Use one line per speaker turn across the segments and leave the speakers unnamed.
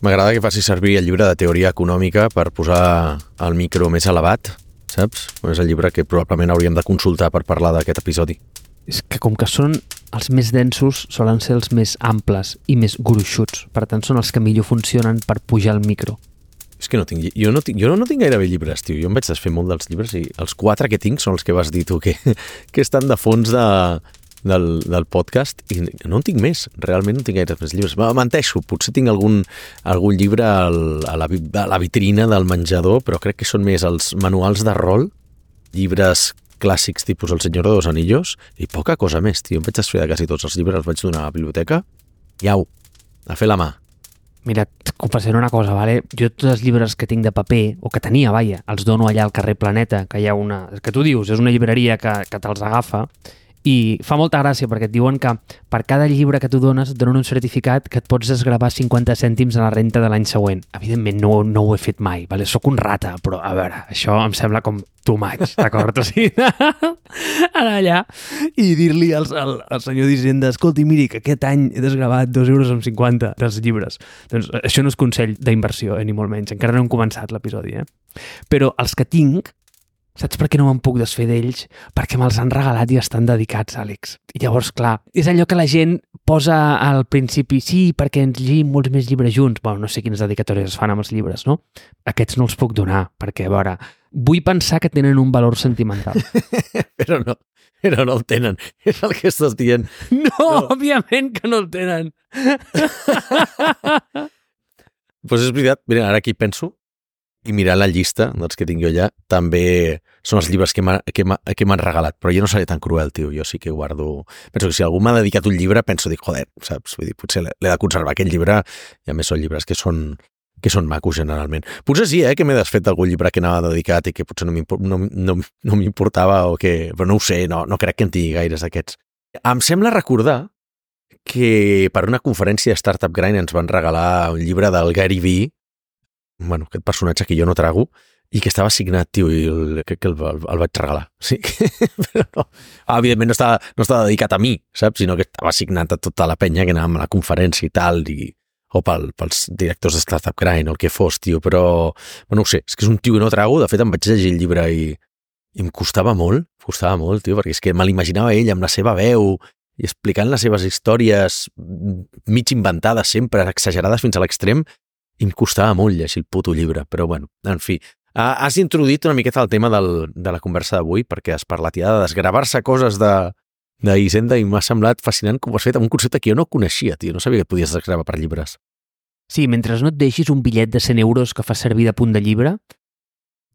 M'agrada que facis servir el llibre de teoria econòmica per posar el micro més elevat, saps? És el llibre que probablement hauríem de consultar per parlar d'aquest episodi.
És que com que són els més densos, solen ser els més amples i més gruixuts. Per tant, són els que millor funcionen per pujar el micro.
És que jo no tinc gairebé llibres, tio. Jo em vaig desfer molt dels llibres i els 4 que tinc són els que vas dir tu, que estan de fons del podcast i no en tinc més. Realment no tinc gaire més llibres. Menteixo, potser tinc algun llibre a la vitrina del menjador, però crec que són més els manuals de rol, llibres clàssics tipus El Senyor de los Anillos i poca cosa més, tio. Em vaig desfer de quasi tots els llibres, els vaig donar a la biblioteca i au, a fer la mà.
Mira, et confessaré una cosa, vale? Jo tots els llibres que tinc de paper, o que tenia, vaja, els dono allà al carrer Planeta, que hi ha una... que tu dius, és una llibreria que te'ls agafa, i fa molta gràcia perquè et diuen que per cada llibre que tu dones et donen un certificat que et pots desgravar 50 cèntims a la renta de l'any següent. Evidentment no ho he fet mai, vale? Soc un rata, però a veure, això em sembla com too much, d'acord? O sigui, anar allà i dir-li al senyor d'Hisenda, escolti, miri, que aquest any he desgravat 2,50 € dels llibres. Doncs això no és consell d'inversió, ni molt menys. Encara no hem començat l'episodi, Però els que tinc, saps per què no me'n puc desfer d'ells? Perquè me'ls han regalat i estan dedicats, Àlex. I llavors, clar, és allò que la gent posa al principi, sí, perquè ens llegim molts més llibres junts. Bueno, no sé quines dedicatòries es fan amb els llibres, no? Aquests no els puc donar, perquè, a veure, vull pensar que tenen un valor sentimental.
Però no el tenen. És el que estàs dient.
No, òbviament que no el tenen.
Pues és veritat. Mira, ara aquí penso, i mirar la llista dels que tinc jo allà, també són els llibres que m'han regalat, però jo no seré tan cruel, tio, jo sí que guardo... Penso que si algú m'ha dedicat un llibre, penso, joder, saps? Vull dir, potser l'he de conservar aquest llibre, i a més són llibres que són macos generalment. Potser sí, que m'he desfet d'algun llibre que anava dedicat i que potser no m'importava o que... Però no ho sé, no crec que en tingui gaires d'aquests. Em sembla recordar que per una conferència de Startup Grind ens van regalar un llibre del Gary Vee, bueno, aquest personatge que jo no trago, i que estava signat, tio, i crec que el vaig regalar. Sí, però no. Evidentment no estava dedicat a mi, saps? Sinó que estava signat a tota la penya que anàvem a la conferència i tal, o pels directors de Startup Grind o el que fos, tio, però no ho sé, és que és un tio que no trago. De fet, em vaig llegir el llibre i em costava molt, tio, perquè és que me l'imaginava ell amb la seva veu i explicant les seves històries mig inventades sempre, exagerades fins a l'extrem, i em costava molt llegir el puto llibre, però bueno, en fi. Has introduït una miqueta el tema de la conversa d'avui, perquè has parlat ja de desgravar-se coses d'Hisenda i m'ha semblat fascinant com ho has fet amb un concepte que jo no coneixia, tio, no sabia que et podies desgravar per llibres.
Sí, mentre no et deixis un bitllet de 100 € que fa servir de punt de llibre,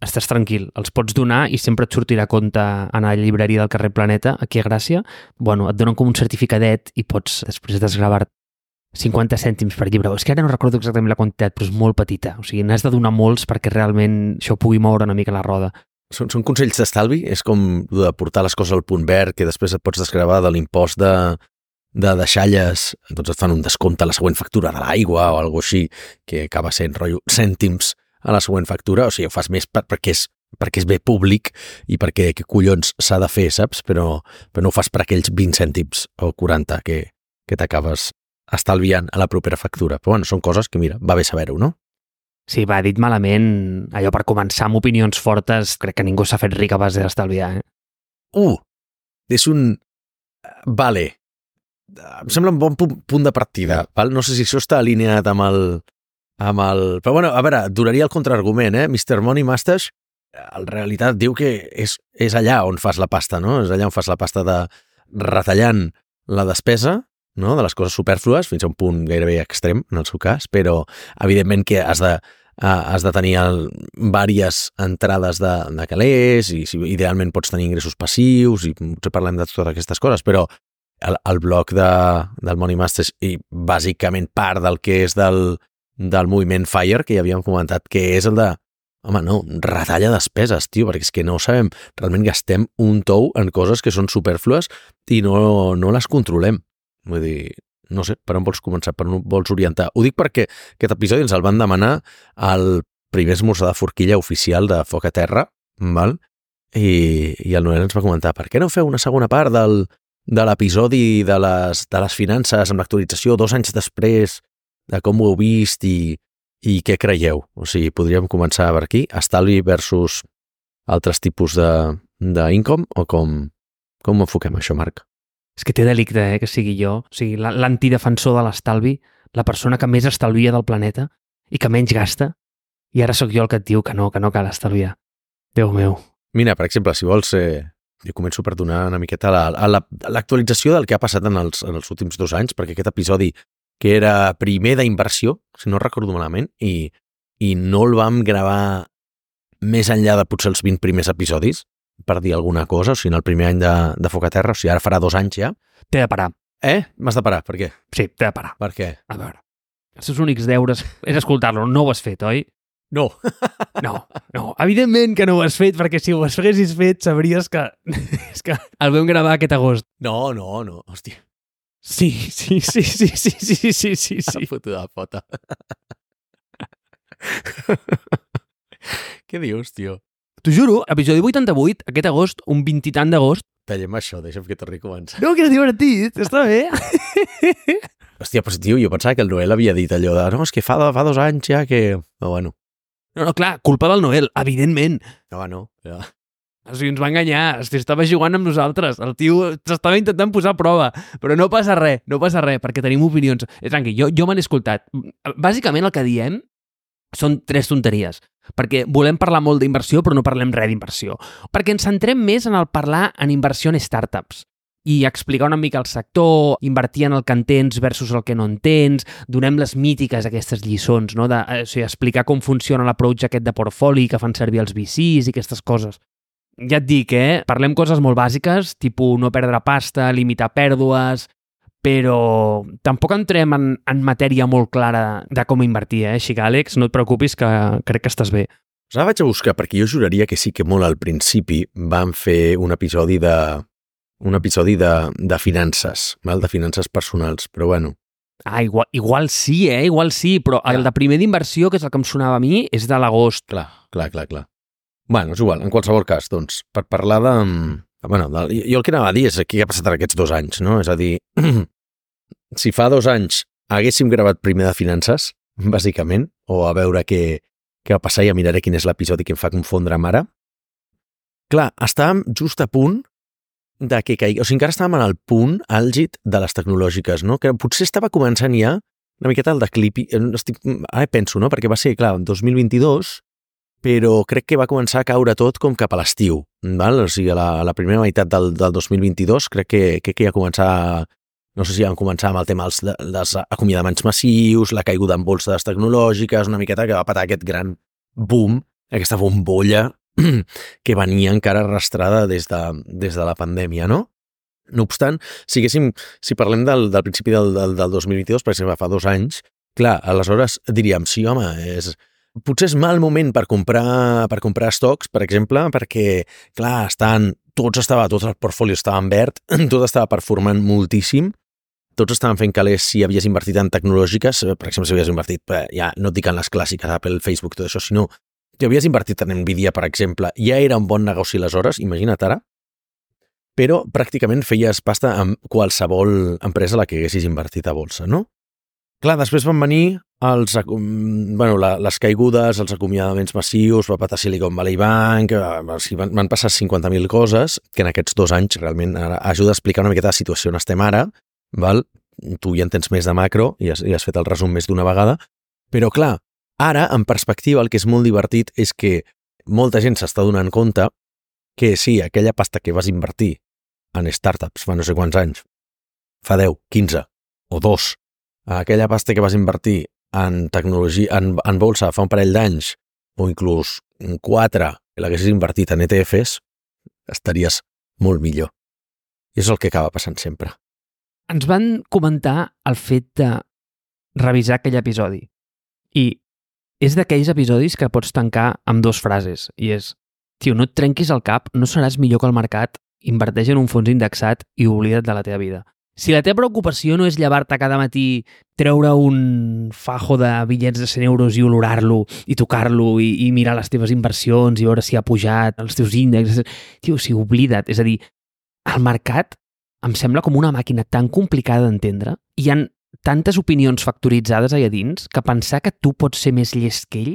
estàs tranquil, els pots donar i sempre et sortirà a compte a la llibreria del carrer Planeta, aquí a Gràcia. Bueno, et donen com un certificadet i pots després desgravar 50 cèntims per llibre. És que ara no recordo exactament la quantitat, però és molt petita. O sigui, n'has de donar molts perquè realment això pugui moure una mica la roda.
Són consells d'estalvi? És com de portar les coses al punt verd, que després et pots desgravar de l'impost de deixalles, doncs et fan un descompte a la següent factura de l'aigua o alguna així, que acaba sent rotllo cèntims a la següent factura. O sigui, ho fas més perquè és bé públic i perquè què collons s'ha de fer, saps? Però no ho fas per aquells 20 cèntims o 40 que t'acabes estalviant a la propera factura. Però bueno, són coses que, mira, va bé saber-ho, no?
Sí, va, dit malament, allò per començar amb opinions fortes, crec que ningú s'ha fet ric a base d'estalviar,
És un... Vale. Em sembla un bon punt de partida, val? No sé si això està alineat amb el... Però bueno, a veure, donaria el contraargument, Mr. Money Mustache, en realitat diu que és allà on fas la pasta, no? És allà on fas la pasta de retallant la despesa, no? De les coses supèrflues, fins a un punt gairebé extrem, en el seu cas, però evidentment que has de tenir diverses entrades de calés i idealment pots tenir ingressos passius i potser parlem de totes aquestes coses, però el bloc del Money Masters i bàsicament part del que és del moviment FIRE, que ja havíem comentat, que és el de home, no, retalla despeses, tio, perquè és que no sabem, realment gastem un tou en coses que són supèrflues i no les controlem. Vull dir, no sé, per on vols començar, per on vols orientar. Ho dic perquè aquest episodi ens el van demanar al primer esmorzar de forquilla oficial de Foc a Terra, val? I el Noel ens va comentar, per què no feu una segona part de l'episodi de les finances amb l'actualització 2 anys després de com ho heu vist i I què creieu? O sigui, podríem començar per aquí, estalvi versus altres tipus d'income, o com enfoquem això, Marc?
És que té delicte, que sigui jo. O sigui, l'antidefensor de l'estalvi, la persona que més estalvia del planeta i que menys gasta, i ara sóc jo el que et diu que no cal estalviar. Déu meu.
Mira, per exemple, si vols, jo començo per donar una miqueta l'actualització del que ha passat en els últims 2 anys, perquè aquest episodi, que era primer d'inversió, si no recordo malament, i no el vam gravar més enllà de potser els 20 primers episodis, per dir alguna cosa, o sigui, en el primer any de Foc a Terra, o sigui, ara farà 2 anys ja.
T'he de parar.
M'has de parar, per què?
Sí, t'he de parar.
Per què?
A veure, els seus únics deures és escoltar-lo, no ho has fet, oi?
No.
No, evidentment que no ho has fet, perquè si ho haguessis fet sabries que... és que el vam gravar aquest agost.
No, hòstia.
Sí.
Fotuda pota. Què dius, tio?
T'ho juro, episodi 88, aquest agost, un 20 i tant d'agost.
Tallem això, deixa'm que torni a començar.
No, que és divertit, està bé.
Hòstia, però tio, jo pensava que el Noel havia dit allò de no, és que fa 2 anys ja que... Però bueno.
No, clar, culpa del Noel, evidentment.
No, ja.
O sigui, ens va enganyar, estava jugant amb nosaltres, el tio s'estava intentant posar a prova, però no passa res, perquè tenim opinions. Tranqui, jo me n'he escoltat. Bàsicament el que diem són 3 tonteries, perquè volem parlar molt d'inversió però no parlem res d'inversió, perquè ens centrem més en el parlar en inversió en startups i explicar una mica el sector, invertir en el que entens versus el que no entens, donem les mítiques aquestes lliçons, no? O sigui, explicar com funciona l'approach aquest de portfoli que fan servir els VCs i aquestes coses. Ja et dic, parlem coses molt bàsiques, tipus no perdre pasta, limitar pèrdues, però tampoc entrem en matèria molt clara de com invertir, així que, Àlex, no et preocupis, que crec que estàs bé.
Ara vaig a buscar, perquè jo juraria que sí que molt al principi vam fer un episodi de finances, de finances personals, però bueno.
Igual sí, igual sí, però el de primer d'inversió, que és el que em sonava a mi, és de l'agost.
Clar. Bueno, és igual, en qualsevol cas, doncs, per parlar de... Bueno, jo el que anava a dir és què ha passat en aquests 2 anys, no? És a dir, si fa 2 anys haguéssim gravat primer de finances, bàsicament, o a veure què va passar, ja miraré quin és l'episodi que em fa confondre amb ara. Clar, estàvem just a punt de que caigui, o sigui, encara estàvem en el punt àlgid de les tecnològiques, no? Que potser estava començant ja una miqueta el declipi, ara penso, no? Perquè va ser, clar, en 2022, però crec que va començar a caure tot com cap a l'estiu, val? O sigui, a la primera meitat del 2022 crec que ja començar, no sé si van començar amb el tema dels acomiadaments massius, la caiguda en bolses tecnològiques, una miqueta que va patar aquest gran boom, aquesta bombolla que venia encara arrastrada des de la pandèmia, no? No obstant, si parlem del principi del 2022, per exemple, fa 2 anys, clar, aleshores diríem, sí, home, potser és mal moment per comprar estocs, per exemple, perquè, clar, tot el portfolio estava en verd, tot estava performant moltíssim, tots estaven fent calés si havies invertit en tecnològiques, per exemple, si havies invertit, ja no et dic en les clàssiques, Apple, Facebook, tot això, sinó que havies invertit en Nvidia, per exemple, ja era un bon negoci aleshores, imagina't ara, però pràcticament feies pasta amb qualsevol empresa a la que haguessis invertit a bolsa, no? Clar, després van venir les caigudes, els acomiadaments massius, va patar Silicon Valley Bank, van passar 50.000 coses que en aquests 2 anys realment ajuda a explicar una miqueta la situació on estem ara, val? Tu ja entens més de macro i has fet el resum més d'una vegada, però clar, ara, en perspectiva, el que és molt divertit és que molta gent s'està donant compte que sí, aquella pasta que vas invertir en startups fa no sé quants anys, fa 10, 15 o 2, aquella pasta que vas invertir en tecnologia, en bolsa fa un parell d'anys, o inclús 4, que l'haguessis invertit en ETFs, estaries molt millor. I és el que acaba passant sempre.
Ens van comentar el fet de revisar aquell episodi. I és d'aquells episodis que pots tancar amb 2 frases. I és, tio, no et trenquis el cap, no seràs millor que el mercat, inverteix en un fons indexat i oblida't de la teva vida. Si la teva preocupació no és llevar-te cada matí, treure un fajo de bitllets de 100 euros i olorar-lo, i tocar-lo, i mirar les teves inversions, i veure si ha pujat els teus índexs, tio, si oblida't. És a dir, el mercat em sembla com una màquina tan complicada d'entendre, i hi ha tantes opinions factoritzades allà dins que pensar que tu pots ser més llest que ell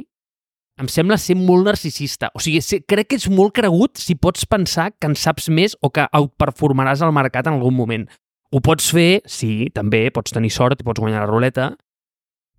em sembla ser molt narcisista. O sigui, crec que és molt cregut si pots pensar que en saps més o que outperformaràs al mercat en algun moment. Ho pots fer, sí, també, pots tenir sort i pots guanyar la ruleta,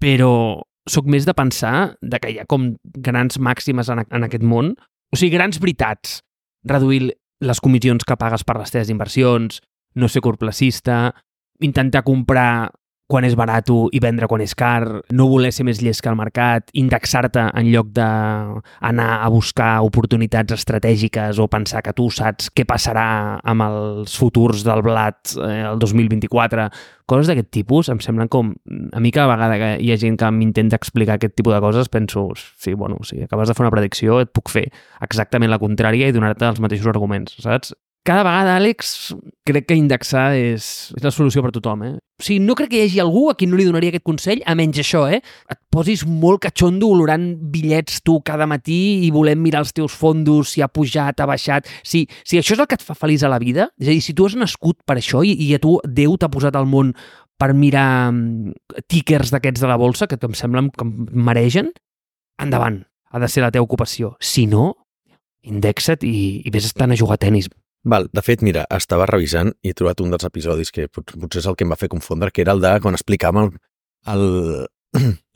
però sóc més de pensar que hi ha com grans màximes en aquest món, o sigui, grans veritats. Reduir les comissions que pagues per les teves inversions, no ser corplacista, intentar comprar quan és barat i vendre quan és car, no voler ser més llest que el mercat, indexar-te en lloc d'anar a buscar oportunitats estratègiques o pensar que tu saps què passarà amb els futurs del blat el 2024. Coses d'aquest tipus em semblen com... A mi cada vegada que hi ha gent que m'intenta explicar aquest tipus de coses penso, sí, bueno, si acabes de fer una predicció et puc fer exactament la contrària i donar-te els mateixos arguments, saps? Cada vegada, Àlex, crec que indexar és la solució per tothom, eh? O sigui, no crec que hi hagi algú a qui no li donaria aquest consell, a menys això, eh? Et posis molt catxondo olorant bitllets tu cada matí i volem mirar els teus fondos, si ha pujat, ha baixat... Si això és el que et fa feliç a la vida, és a dir, si tu has nascut per això i a tu Déu t'ha posat al món per mirar tickers d'aquests de la bolsa, que em semblen que em maregen, endavant, ha de ser la teva ocupació. Si no, indexa't i vés estant a jugar a tenis.
Val, de fet, mira, estava revisant i he trobat un dels episodis que potser és el que em va fer confondre, que era el de quan explicàvem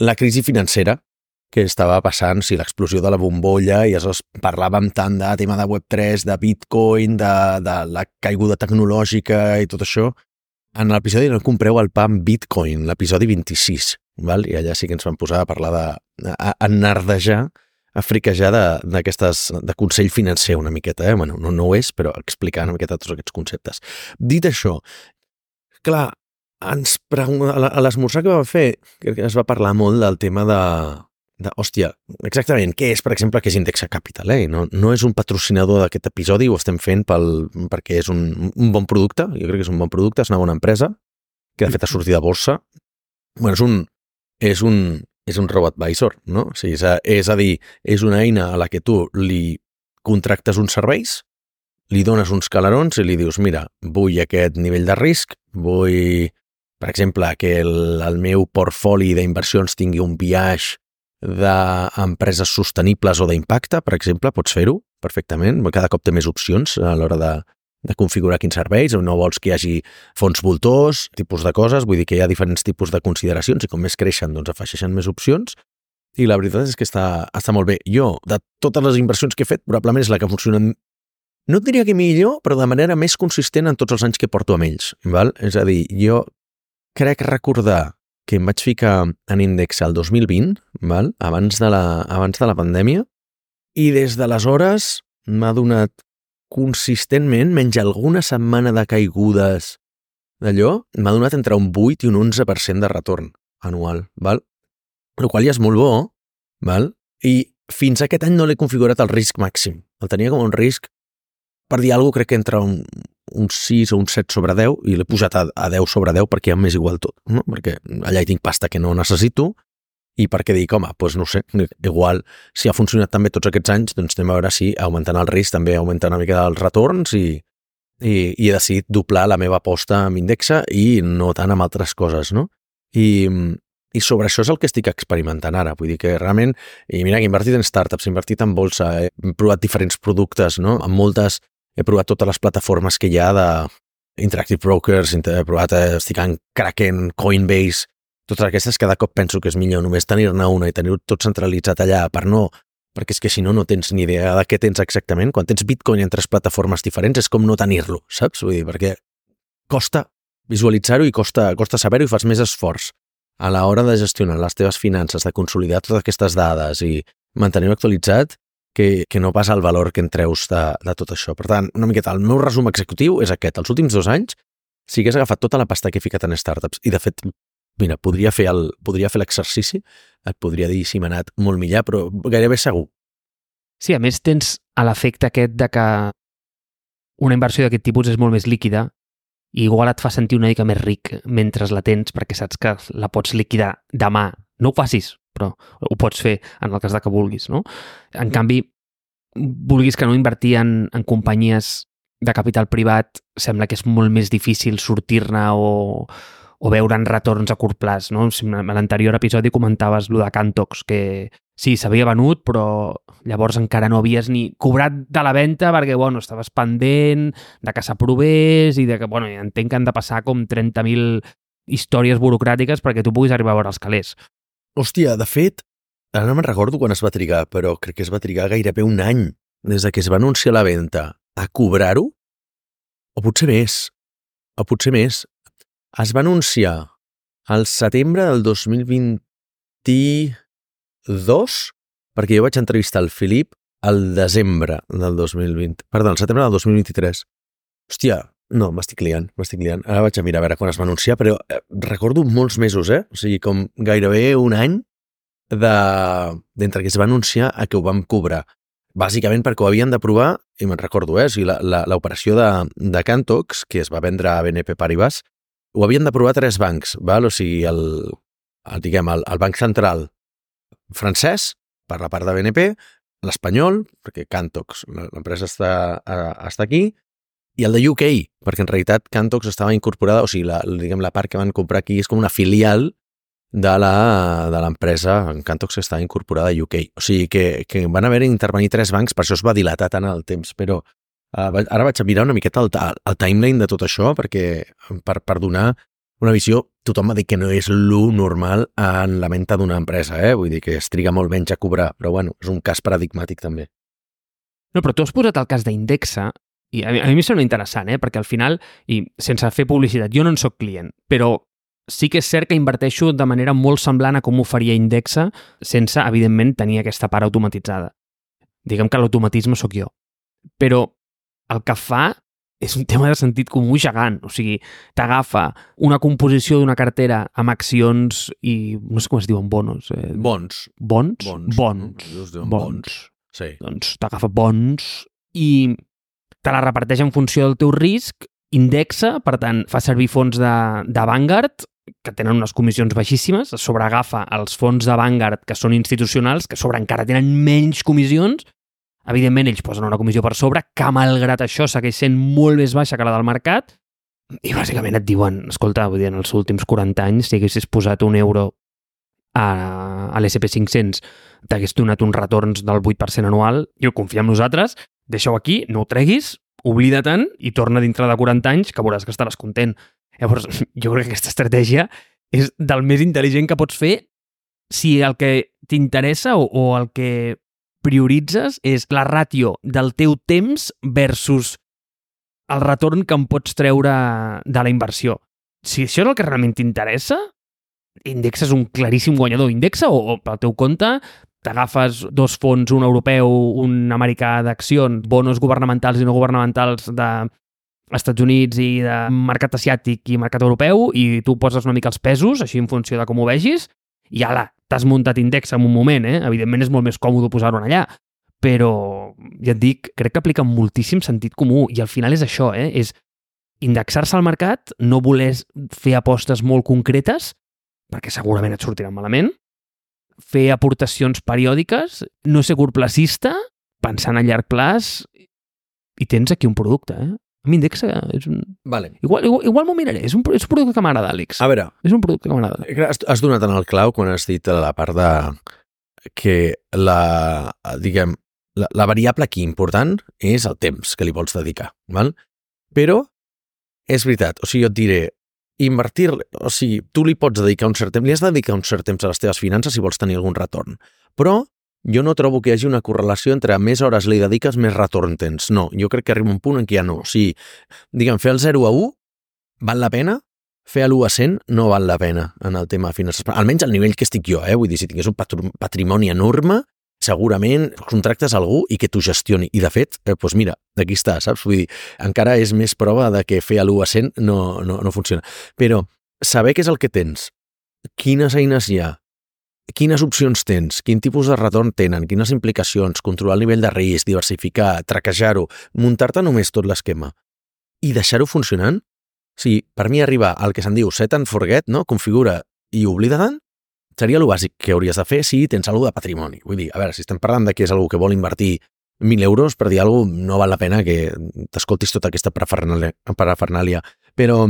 la crisi financera que estava passant, l'explosió de la bombolla, i aleshores parlàvem tant de tema de Web3, de Bitcoin, de la caiguda tecnològica i tot això. En l'episodi No compreu el pa amb Bitcoin, l'episodi 26, val? I allà sí que ens vam posar a parlar enardejar, a friquejar de consell financer una miqueta, eh? Bueno, no ho és, però explicar una miqueta tots aquests conceptes. Dit això, clar, a l'esmorzar que vam fer, crec que es va parlar molt del tema hòstia, exactament, què és, per exemple, què és Indexa Capital, eh? No és un patrocinador d'aquest episodi, ho estem fent perquè és un bon producte, jo crec que és un bon producte, és una bona empresa, que de fet ha sortit de borsa. Bueno, és un robo-advisor, no? O sigui, és a dir, és una eina a la que tu li contractes uns serveis, li dones uns calarons i li dius, mira, vull aquest nivell de risc, vull, per exemple, que el meu portfoli d'inversions tingui un biaix d'empreses sostenibles o d'impacte, per exemple, pots fer-ho perfectament, cada cop té més opcions a l'hora de configurar quins serveis, no vols que hi hagi fons voltors, tipus de coses, vull dir que hi ha diferents tipus de consideracions i com més creixen, doncs afegeixen més opcions, i la veritat és que està molt bé. Jo, de totes les inversions que he fet, probablement és la que funciona, no et diria que millor, però de manera més consistent en tots els anys que porto amb ells, val? És a dir, jo crec recordar que em vaig ficar en Indexa el 2020, val? Abans de la pandèmia, i des d'aleshores m'ha donat consistentment, menys alguna setmana de caigudes d'allò, m'ha donat entre un 8 i un 11% de retorn anual, val? El qual ja és molt bo, val? I fins aquest any no l'he configurat el risc màxim. El tenia com un risc, per dir alguna cosa, crec que entre un 6 o un 7 sobre 10, i l'he posat a 10 sobre 10 perquè ja m'és igual tot, no? Perquè allà hi tinc pasta que no necessito, i perquè dic, home, doncs no sé, igual, si ha funcionat també tots aquests anys, doncs anem a veure si augmentant el risc també augmenta una mica els retorns i he decidit doblar la meva aposta amb Indexa i no tant amb altres coses, no? I sobre això és el que estic experimentant ara, vull dir que realment, i mira que he invertit en startups, he invertit en bolsa, he provat diferents productes, no? Amb moltes, he provat totes les plataformes que hi ha d'Interactive Brokers, he provat, estic en Kraken, Coinbase, totes aquestes, cada cop penso que és millor només tenir-ne una i tenir-ho tot centralitzat allà perquè és que si no tens ni idea de què tens exactament. Quan tens Bitcoin en 3 plataformes diferents és com no tenir-lo, saps? Vull dir, perquè costa visualitzar-ho i costa saber-ho i fas més esforç a l'hora de gestionar les teves finances, de consolidar totes aquestes dades i mantenir-ho actualitzat que no pas el valor que en treus de tot això. Per tant, una miqueta, el meu resum executiu és aquest. Els últims 2 anys, si hagués agafat tota la pasta que he ficat en startups i, de fet, mira, podria fer l'exercici, et podria dir si m'ha anat molt millor, però gairebé segur.
Sí, a més tens l'efecte aquest de que una inversió d'aquest tipus és molt més líquida i igual et fa sentir una mica més ric mentre la tens perquè saps que la pots liquidar demà. No ho facis, però ho pots fer en el cas de que vulguis, no? En canvi, vulguis que no invertir en companyies de capital privat, sembla que és molt més difícil sortir-ne o o veure'n retorns a curt plaç, no? A l'anterior episodi comentaves lo de Cantox, que sí, s'havia venut, però llavors encara no havies ni cobrat de la venda perquè, bueno, estaves pendent de que s'aprovés i de que, bueno, entenc que han de passar com 30.000 històries burocràtiques perquè tu puguis arribar a veure els calés.
Hòstia, de fet, ara no me'n recordo quan es va trigar, però crec que es va trigar gairebé un any des que es va anunciar la venda a cobrar-ho, o potser més. Es va anunciar al setembre del 2022, perquè jo vaig entrevistar el Filip al desembre del 2020, perdó, al setembre del 2023. Hòstia, no, m'estic liant. Ara vaig a mirar a veure quan es va anunciar, però recordo molts mesos, O sigui, com gairebé un any d'entre que es va anunciar a que ho vam cobrar. Bàsicament perquè ho havien de provar, i me'n recordo, o sigui, l'operació de Cantox, que es va vendre a BNP Paribas, ho havien de provar 3 bancs, val? O sigui, el banc central francès, per la part de BNP, l'espanyol, perquè Cantox, l'empresa està aquí, i el de UK, perquè en realitat Cantox estava incorporada, o sigui, la part que van comprar aquí és com una filial de l'empresa Cantox que està incorporada a UK. O sigui que van haver d'intervenir 3 bancs, per això es va dilatar tant el temps, però ara vaig a mirar una miqueta el timeline de tot això perquè per donar una visió, tothom va dir que no és lo normal en la venda d'una empresa, vull dir que es triga molt menys a cobrar, però bueno, és un cas paradigmàtic també.
No, però tu has posat el cas d'Indexa i a mi em sembla interessant, perquè al final, i sense fer publicitat, jo no en soc client, però sí que és cert que inverteixo de manera molt semblant a com ho faria Indexa sense, evidentment, tenir aquesta part automatitzada. Diguem que l'automatisme sóc jo. Però el que fa és un tema de sentit comú gegant. O sigui, t'agafa una composició d'una cartera amb accions i no sé com es diuen, bonos.
Bons.
Bons.
Sí.
Doncs t'agafa bons i te la reparteix en funció del teu risc, indexa, per tant, fa servir fons de Vanguard, que tenen unes comissions baixíssimes, sobreagafa els fons de Vanguard, que són institucionals, que sobre encara tenen menys comissions. Evidentment, ells posen una comissió per sobre, que malgrat això segueix sent molt més baixa que la del mercat, i bàsicament et diuen, escolta, vull dir, en els últims 40 anys, si haguessis posat €1 a l'SP500, t'hagués donat uns retorns del 8% anual, i confia en nosaltres, deixa-ho aquí, no ho treguis, oblida-te'n i torna dintre de 40 anys, que veuràs que estaràs content. Llavors, jo crec que aquesta estratègia és del més intel·ligent que pots fer si el que t'interessa o el que prioritzes és la ràtio del teu temps versus el retorn que em pots treure de la inversió. Si això és el que realment t'interessa, Indexa és un claríssim guanyador. Indexa o pel teu compte t'agafes 2 fons, un europeu, un americà d'accions, bonos governamentals i no governamentals d'Estats Units i de mercat asiàtic i mercat europeu, i tu poses una mica els pesos, així en funció de com ho vegis, i ala, t'has muntat Indexa en un moment, Evidentment és molt més còmode posar-ho allà, però ja et dic, crec que aplica moltíssim sentit comú, i al final és això, és indexar-se al mercat, no voler fer apostes molt concretes, perquè segurament et sortiran malament, fer aportacions periòdiques, no ser curtplacista, pensant a llarg plaç, i tens aquí un producte, A mi Indexa és un...
Vale.
Igual m'ho miraré, és un producte que m'agrada, Àlex.
A veure...
És un producte que m'agrada.
Has donat en el clau quan has dit la part de... que la variable aquí important és el temps que li vols dedicar, val? Però és veritat, o sigui, jo et diré, invertir, o sigui, tu li pots dedicar un cert temps, li has de dedicar un cert temps a les teves finances si vols tenir algun retorn, però jo no trobo que hi hagi una correlació entre més hores li dediques, més retorn tens. No, jo crec que arriba un punt en què ja no. O sigui, diguem, fer el 0 a 1 val la pena, fer l'1 a 100 no val la pena en el tema de finances. Almenys al nivell que estic jo, Vull dir, si tingués un patrimoni enorme, segurament contractes algú i que t'ho gestioni. I, de fet, doncs mira, aquí està, saps? Vull dir, encara és més prova de que fer l'1 a 100 no funciona. Però saber què és el que tens, quines eines hi ha, quines opcions tens, quin tipus de retorn tenen, quines implicacions, controlar el nivell de risc, diversificar, traquejar-ho, muntar-te només tot l'esquema i deixar-ho funcionant. O sigui, per mi arribar al que se'n diu set and forget, no? Configura i oblida-te'n, seria el bàsic que hauries de fer si tens alguna de patrimoni. Vull dir, a veure, si estem parlant de que és algú que vol invertir 1.000 euros, per dir alguna cosa, no val la pena que t'escoltis tota aquesta parafernàlia. Però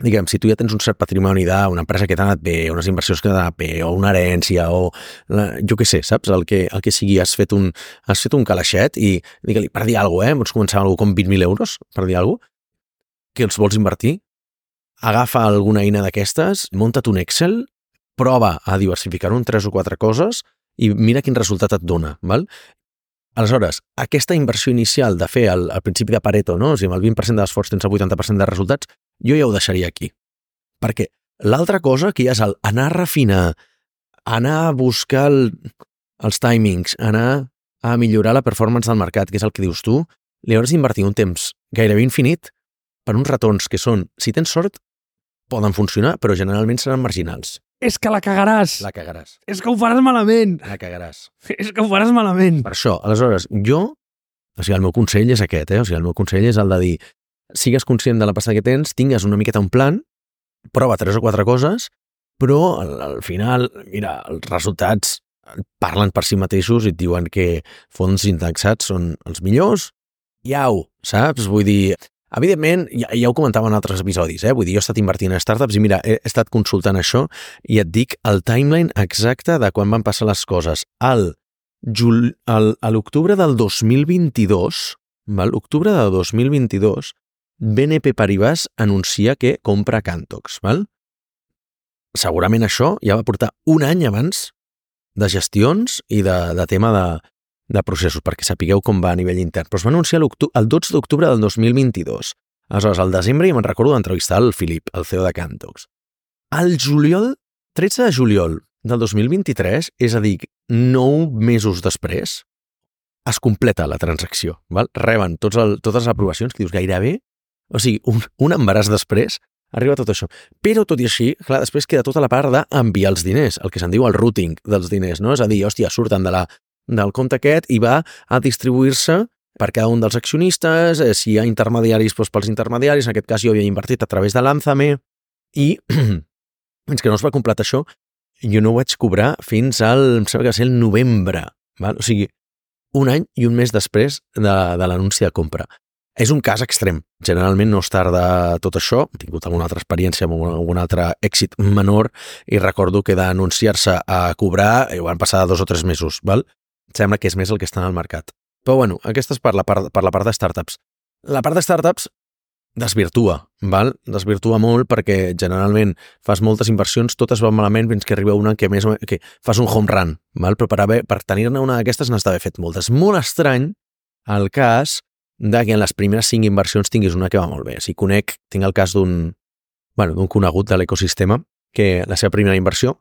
diguem, si tu ja tens un cert patrimoni d'una empresa que t'ha anat bé, unes inversions que t'han anat bé, o una herència, o jo què sé, saps? El que sigui, has fet un calaixet i digue-li, per dir alguna cosa, pots començar amb com 20.000 euros, per dir alguna cosa, que els vols invertir, agafa alguna eina d'aquestes, munta't un Excel, prova a diversificar-ho en 3 o 4 coses i mira quin resultat et dona, val? Aleshores, aquesta inversió inicial de fer al principi de Pareto, no? O sigui, amb el 20% de l'esforç tens el 80% de resultats, jo ja ho deixaria aquí. Perquè l'altra cosa que ja és anar a refinar, anar a buscar els timings, anar a millorar la performance del mercat, que és el que dius tu, li hauràs d'invertir un temps gairebé infinit per uns retorns que són, si tens sort, poden funcionar, però generalment seran marginals.
És que la cagaràs.
La cagaràs.
És que ho faràs malament.
La cagaràs.
És que ho faràs malament.
Per això, aleshores, el meu consell és aquest, O sigui, el meu consell és el de dir, sigues conscient de la pasta que tens, tingues una miqueta un plan, prova 3 o 4 coses, però al final, mira, els resultats parlen per si mateixos i et diuen que fons indexats són els millors. Iau, saps? Vull dir, evidentment, ja ho comentava en altres episodis, Vull dir, jo he estat invertint en startups i mira, he estat consultant això i et dic el timeline exacte de quan van passar les coses. A l'octubre del 2022, val? Octubre del 2022, BNP Paribas anuncia que compra Cantox, val? Segurament això ja va portar un any abans de gestions i de tema de processos, perquè sapigueu com va a nivell intern. Però es va anunciar el 12 d'octubre del 2022. Aleshores, al desembre, ja me'n recordo d'entrevistar el Filip, el CEO de Cantox. Al juliol, 13 de juliol del 2023, és a dir, 9 mesos després, es completa la transacció. Val? Reben totes les aprovacions, que dius gairebé, o sigui, un embaràs després, arriba tot això. Però, tot i així, clar, després queda tota la part d'enviar els diners, el que se'n diu el routing dels diners, no? És a dir, hòstia, surten del compte aquest i va a distribuir-se per cada un dels accionistes, si hi ha intermediaris, doncs pels intermediaris, en aquest cas jo havia invertit a través de Lánzame i fins que no es va completar això, jo no ho vaig cobrar fins al, em sembla que va ser el novembre, val? O sigui, un any i un mes després de l'anunci de compra. És un cas extrem. Generalment no es tarda tot això. He tingut alguna altra experiència amb algun altre èxit menor i recordo que d'anunciar-se a cobrar ho van passar 2 o 3 mesos, val? Sembla que és més el que està en el mercat. Però bueno, aquesta és per la part de startups. La part de startups desvirtua, val? Desvirtua molt perquè generalment fas moltes inversions, totes van malament fins que arriba una que fas un home run, val? Però per tenir-ne una d'aquestes n'has d'haver fet moltes. Molt estrany el cas de que en les primeres 5 inversions tinguis una que va molt bé. Si tinc el cas d'un conegut de l'ecosistema que la seva primera inversió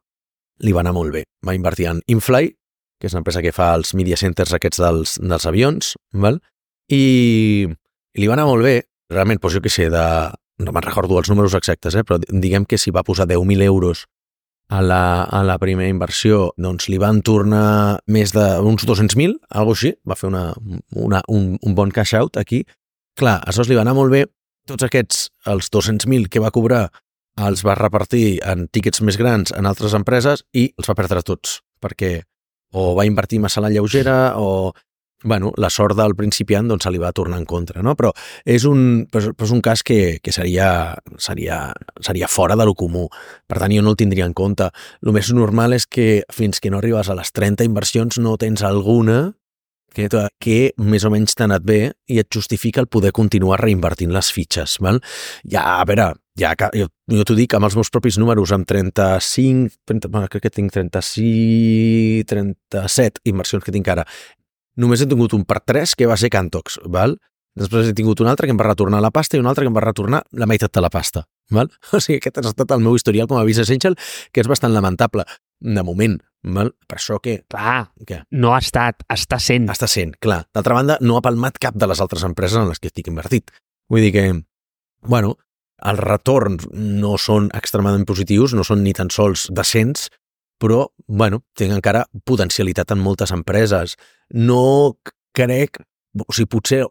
li va anar molt bé. Va invertir en Infly, que és una empresa que fa els media centers aquests dels avions, val? I li va anar molt bé. Realment, doncs jo què sé, no me'n recordo els números exactes, però diguem que si va posar 10.000 euros a la primera inversió, doncs li van tornar més d'uns 200.000, alguna així, va fer un bon cash out aquí. Clar, això li va anar molt bé, tots aquests, els 200.000 que va cobrar, els va repartir en tíquets més grans en altres empreses i els va perdre tots, perquè o va invertir massa a la lleugera o la sort del principiant doncs se li va tornar en contra, no? Però és un cas que seria fora de lo comú. Per tant, jo no el tindria en compte. El més normal és que fins que no arribes a les 30 inversions no tens alguna que més o menys t'ha anat bé i et justifica el poder continuar reinvertint les fitxes, val? Ja, a veure, jo t'ho dic amb els meus propis números, amb crec que tinc 36, 37 inversions que tinc ara. Només he tingut un per 3 que va ser Cantox, val? Després he tingut un altre que em va retornar la pasta i un altre que em va retornar la meitat de la pasta, val? O sigui, aquest ha estat el meu historial com a business angel, que és bastant lamentable, de moment, val? Per això que...
Clar, no ha estat, està sent.
Està sent, clar. D'altra banda, no ha palmat cap de les altres empreses en les que estic invertit. Vull dir que, els retorns no són extremadament positius, no són ni tan sols decents, però, tinc encara potencialitat en moltes empreses. No crec... O sigui, potser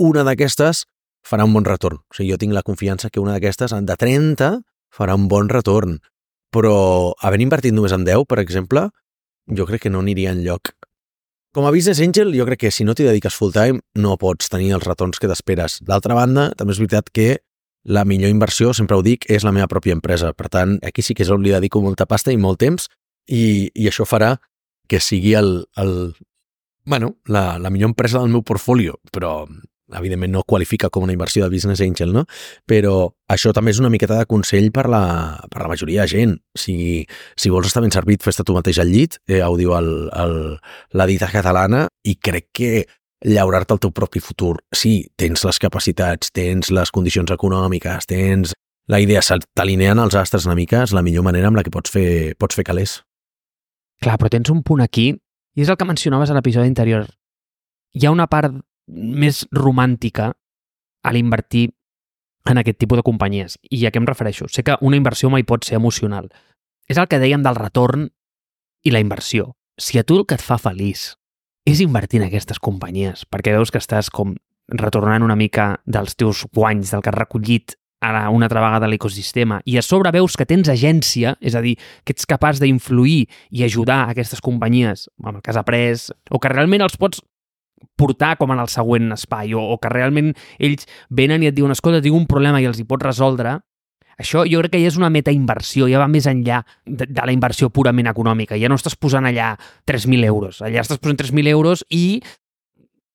una d'aquestes farà un bon retorn. O sigui, jo tinc la confiança que una d'aquestes, de 30, farà un bon retorn. Però havent invertit només en 10, per exemple, jo crec que no aniria enlloc. Com a business angel, jo crec que si no t'hi dediques full time, no pots tenir els retorns que t'esperes. D'altra banda, també és veritat que la millor inversió, sempre ho dic, és la meva pròpia empresa. Per tant, aquí sí que és on li dedico molta pasta i molt temps i això farà que sigui la millor empresa del meu portfolio, però evidentment no qualifica com una inversió de business angel, no? Però això també és una miqueta de consell per la majoria de gent. Si vols estar ben servit, fes-te tu mateix al llit, ho diu la dita catalana, i crec que llaurar-te el teu propi futur. Sí, tens les capacitats, tens les condicions econòmiques, tens la idea, t'alineant els astres una mica, és la millor manera amb la que pots fer calés.
Clar, però tens un punt aquí, i és el que mencionaves a l'episodi anterior. Hi ha una part més romàntica a l'invertir en aquest tipus de companyies. I a què em refereixo? Sé que una inversió mai pot ser emocional. És el que dèiem del retorn i la inversió. Si a tu el que et fa feliç és invertir en aquestes companyies, perquè veus que estàs com retornant una mica dels teus guanys, del que has recollit una altra vegada a l'ecosistema, i a sobre veus que tens agència, és a dir, que ets capaç d'influir i ajudar aquestes companyies, amb el que has après, o que realment els pots portar com en el següent espai, o que realment ells venen i et diuen, escolta, tinc un problema i els hi pots resoldre, això jo crec que ja és una metainversió, ja va més enllà de la inversió purament econòmica. Ja no estàs posant allà 3.000 euros, allà estàs posant 3.000 euros i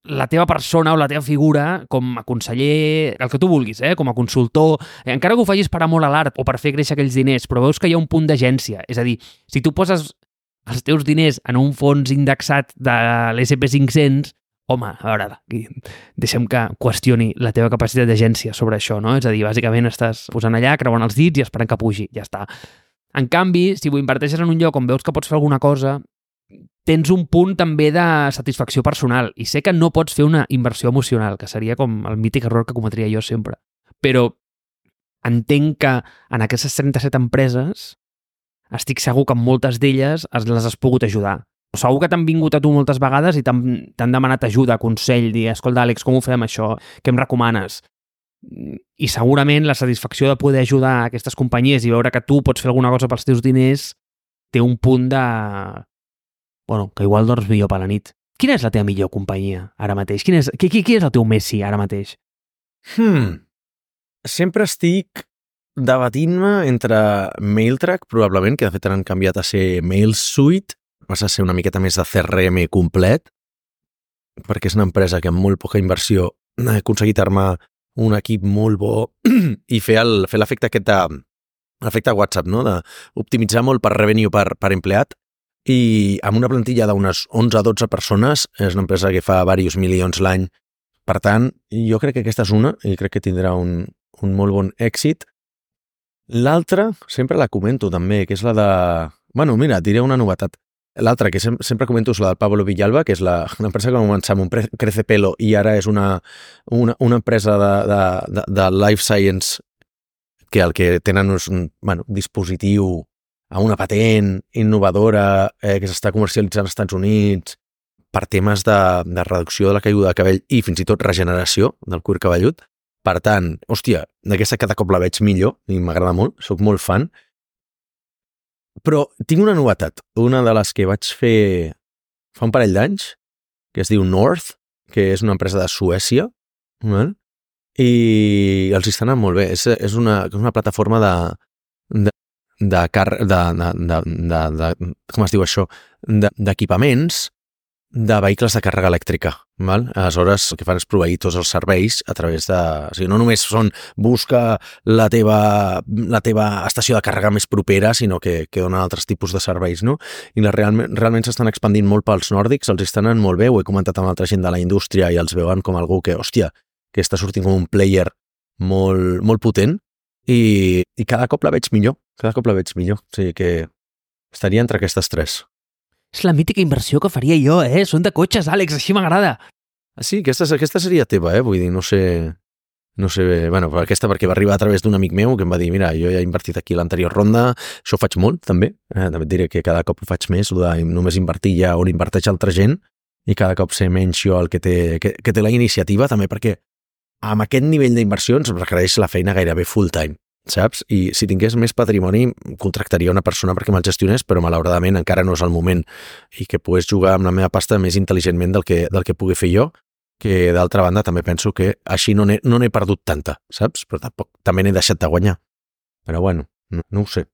la teva persona o la teva figura com a conseller, el que tu vulguis, com a consultor, encara que ho facis per amor a l'art o per fer créixer aquells diners, però veus que hi ha un punt d'agència. És a dir, si tu poses els teus diners en un fons indexat de l'SP500, home, a veure, deixem que qüestioni la teva capacitat d'agència sobre això, no? És a dir, bàsicament estàs posant allà, creuant els dits i esperant que pugi, ja està. En canvi, si ho inverteixes en un lloc on veus que pots fer alguna cosa, tens un punt també de satisfacció personal. I sé que no pots fer una inversió emocional, que seria com el mític error que cometria jo sempre. Però entenc que en aquestes 37 empreses estic segur que en moltes d'elles les has pogut ajudar. Segur que t'han vingut a tu moltes vegades i t'han demanat ajuda, consell, dir, escolta, Àlex, com ho fem això? Què em recomanes? I segurament la satisfacció de poder ajudar a aquestes companyies i veure que tu pots fer alguna cosa pels teus diners té un punt de... Bueno, que igual dors millor per la nit. Quina és la teva millor companyia ara mateix? Qui és el teu Messi ara mateix?
Sempre estic debatint-me entre MailTrack, probablement, que de fet han canviat a ser MailSuite, passa a ser una miqueta més de CRM complet, perquè és una empresa que amb molt poca inversió ha aconseguit armar un equip molt bo i fer l'efecte aquest l'efecte WhatsApp, no? D'optimitzar molt per revenue per empleat, i amb una plantilla d'unes 11-12 persones, és una empresa que fa diversos milions l'any. Per tant, jo crec que aquesta és una, i crec que tindrà un molt bon èxit. L'altra, sempre la comento també, que és la de... Bueno, mira, diré una novetat. L'altra, que sempre comento, és la del Pablo Villalba, que és l'empresa que va començar amb un Crecepelo i ara és una empresa de life science que el que tenen és un dispositiu a una patent innovadora que s'està comercialitzant als Estats Units per temes de reducció de la caiguda de cabell i fins i tot regeneració del cuir cabellut. Per tant, hòstia, d'aquesta cada cop la veig millor i m'agrada molt, soc molt fan. Però tinc una novetat, una de les que vaig fer fa un parell d'anys, que es diu North, que és una empresa de Suècia, i els hi està anant molt bé. És una plataforma com es diu això? D'equipaments de vehicles de càrrega elèctrica. Val? Aleshores, el que fan és proveir tots els serveis a través de... O sigui, no només busca la teva estació de càrrega més propera, sinó que donen altres tipus de serveis, no? I realment s'estan expandint molt pels nòrdics, els estan anant molt bé, ho he comentat amb altra gent de la indústria i els veuen com algú que, hòstia, que està sortint com un player molt, molt potent i cada cop la veig millor, O sigui que estaria entre aquestes tres.
És la mítica inversió que faria jo, Són de cotxes, Àlex, així m'agrada.
Sí, aquesta seria teva, Vull dir, no sé, bueno, aquesta perquè va arribar a través d'un amic meu que em va dir, mira, jo ja he invertit aquí l'anterior ronda, això ho faig molt, també. També et diré que cada cop ho faig més, només invertir ja on inverteix altra gent i cada cop ser menys jo el que té la iniciativa, també perquè amb aquest nivell d'inversions requereix la feina gairebé full time. Saps? I si tingués més patrimoni contractaria una persona perquè me'l gestionés, però malauradament encara no és el moment i que pogués jugar amb la meva pasta més intel·ligentment del que pugui fer jo. que d'altra banda també penso que així no n'he perdut tanta, saps? Però tampoc també n'he deixat de guanyar. Però bueno, no ho sé.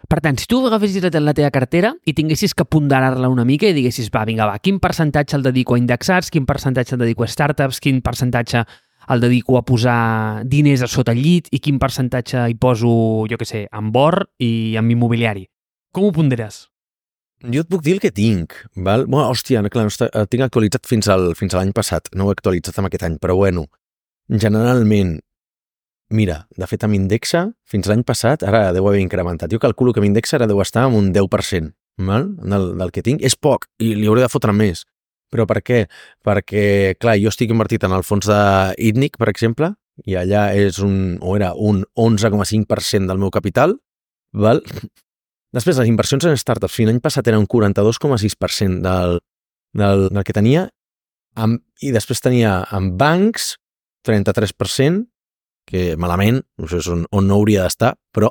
Per tant, si tu agafessis la teva cartera i tinguessis que ponderar-la una mica i diguessis, vinga, quin percentatge el dedico a indexats, quin percentatge el dedico a startups, quin percentatge el dedico a posar diners a sota el llit i quin percentatge hi poso, jo què sé, en or i en immobiliari. Com ho ponderes?
Jo et puc dir el que tinc, val? Bueno, hòstia, clar, el tinc actualitzat fins a l'any passat, no ho he actualitzat amb aquest any, però bueno, generalment, mira, de fet amb Indexa, fins l'any passat, ara deu haver incrementat. Jo calculo que amb Indexa ara deu estar amb un 10%, val? Del que tinc. És poc, i li hauré de fotre més. Però per què? Perquè, clar, jo estic invertit en el fons d'ITNIC, per exemple, i allà era un 11,5% del meu capital, val? Després, les inversions en startups, fins l'any passat era un 42,6% del que tenia, i després tenia en bancs 33%, que malament, no sé on no hauria d'estar, però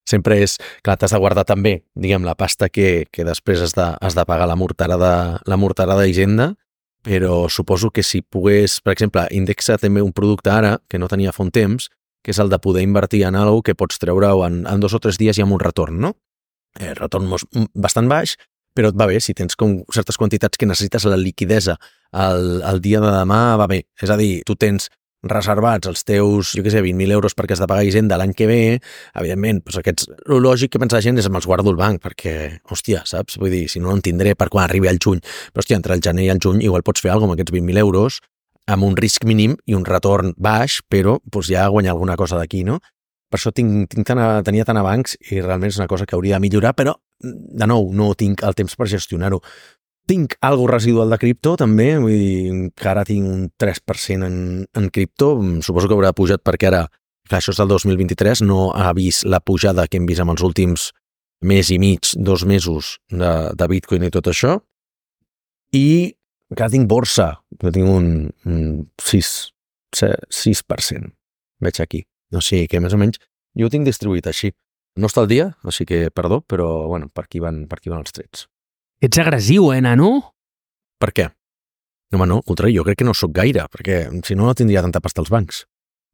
sempre és, clar, t'has de guardar també, diguem, la pasta que després has de pagar la morterada d'Hisenda, però suposo que si pogués, per exemple, Indexa també un producte ara, que no tenia fa un temps, que és el de poder invertir en alguna cosa que pots treure-ho en 2 o 3 dies i amb un retorn, no? Retorn bastant baix, però et va bé, si tens com certes quantitats que necessites la liquidesa el dia de demà, va bé. És a dir, tu tens reservats els teus, jo què sé, 20.000 euros perquè has de pagar Hisenda l'any que ve, evidentment, doncs aquests, el lògic que pensa la gent és me'ls guardo al banc, perquè, hòstia, saps? Vull dir, si no en tindré per quan arribi al juny, però hòstia, entre el gener i el juny igual pots fer alguna cosa amb aquests 20.000 euros, amb un risc mínim i un retorn baix, però doncs ja guanyar alguna cosa d'aquí, no? Per això tenia tant a bancs i realment és una cosa que hauria de millorar, però, de nou, no tinc el temps per gestionar-ho. Tinc algo residual de cripto, també, vull dir que ara tinc un 3% en cripto, suposo que haurà pujat perquè ara, clar, això és del 2023, no ha vist la pujada que hem vist en els últims mes i mig, 2 mesos de Bitcoin i tot això, i encara tinc borsa, que tinc un 6%, veig aquí. O sigui que més o menys jo ho tinc distribuït així. No està al dia, o sigui que, perdó, però bueno, per aquí van els trets.
Ets agressiu, nano?
Per què? No, home, no, al contrari, jo crec que no sóc gaire, perquè si no tindria tanta pasta als bancs.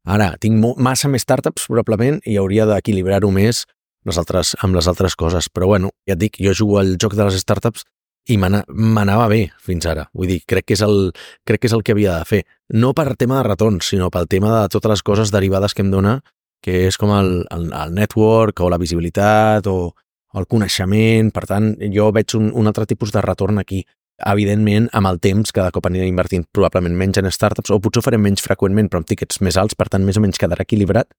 Ara, tinc massa més startups, probablement, i hauria d'equilibrar-ho més amb les altres coses. Però bueno, ja et dic, jo jugo al joc de les startups i m'anava bé fins ara. Vull dir, crec que és el que havia de fer. No per tema de retorns, sinó pel tema de totes les coses derivades que em dona, que és com el network o la visibilitat o el coneixement. Per tant, jo veig un altre tipus de retorn aquí. Evidentment, amb el temps, cada cop aniré invertint probablement menys en startups, o potser ho farem menys freqüentment, però amb tickets més alts, per tant, més o menys quedarà equilibrat.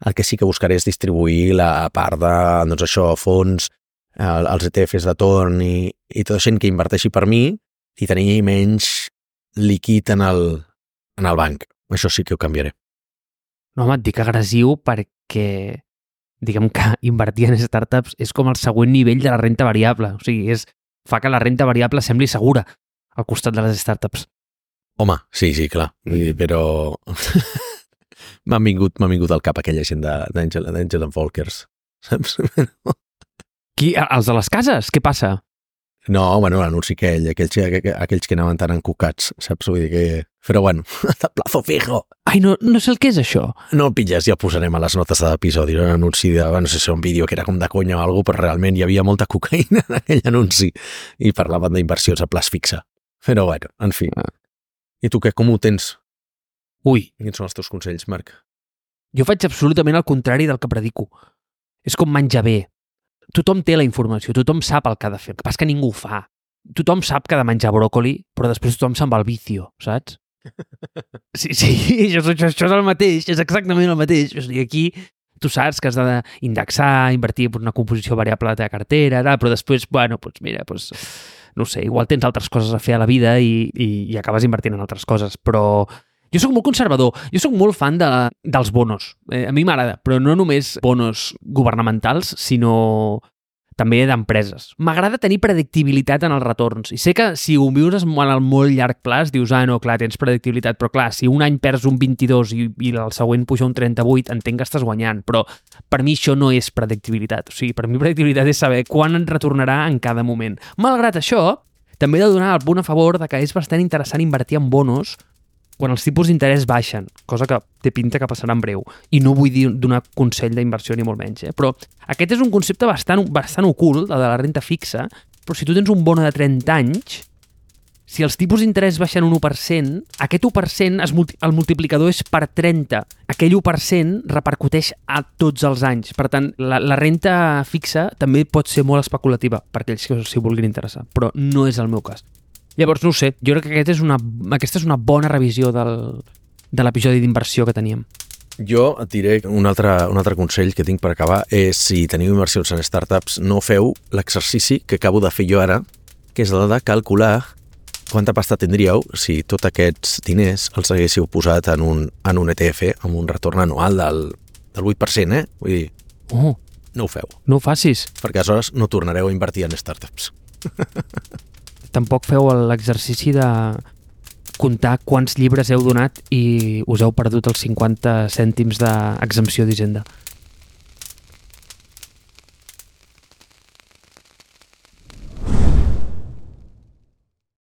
El que sí que buscaré és distribuir la part de, doncs això, fons, els ETFs de torn i tot això que inverteixi per mi i tenir menys líquid en el banc. Això sí que ho canviaré.
No, home, et dic agressiu perquè, diguem que invertir en startups és com el següent nivell de la renta variable. O sigui, fa que la renta variable sembli segura al costat de les startups.
Home, sí, clar. Però m'ha vingut al cap aquella gent d'Angel and Volkers, saps?
Qui? Els de les cases? Què passa?
No, bueno, l'anunci aquells que anaven tan encucats, saps? Vull dir que... Però bueno, de plazo fijo.
Ai, no sé el que és això.
No el pilles, ja ho posarem a les notes de l'episodi. Era un anunci de, no sé si era un vídeo que era com de conya o alguna cosa, però realment hi havia molta cocaïna en aquell anunci i parlaven d'inversions a plaç fixe. Però bueno, en fi. I tu què, com ho tens?
Ui.
Quins són els teus consells, Marc?
Jo faig absolutament el contrari del que predico. És com menjar bé. Tothom té la informació, tothom sap el que ha de fer. El que passa que ningú ho fa. Tothom sap que ha de menjar bròcoli, però després tothom se'n va al vicio, saps? Sí, això és el mateix, és exactament el mateix. O sigui, aquí tu saps que has d'indexar, invertir en una composició variable de la teva cartera, però després, bueno, doncs mira, no sé, igual tens altres coses a fer a la vida i acabes invertint en altres coses, però jo sóc molt conservador, jo sóc molt fan dels bonos. A mi m'agrada, però no només bonos governamentals, sinó també d'empreses. M'agrada tenir predictibilitat en els retorns. I sé que si ho vius en el molt llarg plaç, dius, no, clar, tens predictibilitat, però clar, si un any perds un 22 i el següent puja un 38, entenc que estàs guanyant, però per mi això no és predictibilitat. O sigui, per mi predictibilitat és saber quan et retornarà en cada moment. Malgrat això, també he de donar el punt a favor de que és bastant interessant invertir en bonos quan els tipus d'interès baixen, cosa que té pinta que passarà en breu, i no vull dir donar consell d'inversió ni molt menys, però aquest és un concepte bastant ocult, el de la renta fixa, però si tu tens un bono de 30 anys, si els tipus d'interès baixen un 1%, aquest 1% el multiplicador és per 30. Aquell 1% repercuteix a tots els anys. Per tant, la renta fixa també pot ser molt especulativa per aquells que s'hi vulguin interessar, però no és el meu cas. Llavors, no ho sé, jo crec que aquesta és una bona revisió de l'episodi d'inversió que teníem.
Jo et diré un altre consell que tinc per acabar és si teniu inversions en startups, no feu l'exercici que acabo de fer jo ara, que és el de calcular quanta pasta tindríeu si tots aquests diners els haguéssiu posat en un ETF amb un retorn anual del 8%, Vull dir, no ho feu.
No ho facis.
Perquè aleshores no tornareu a invertir en startups.
Tampoc feu l'exercici de comptar quants llibres heu donat i us heu perdut els 50 cèntims d'exempció d'Hisenda.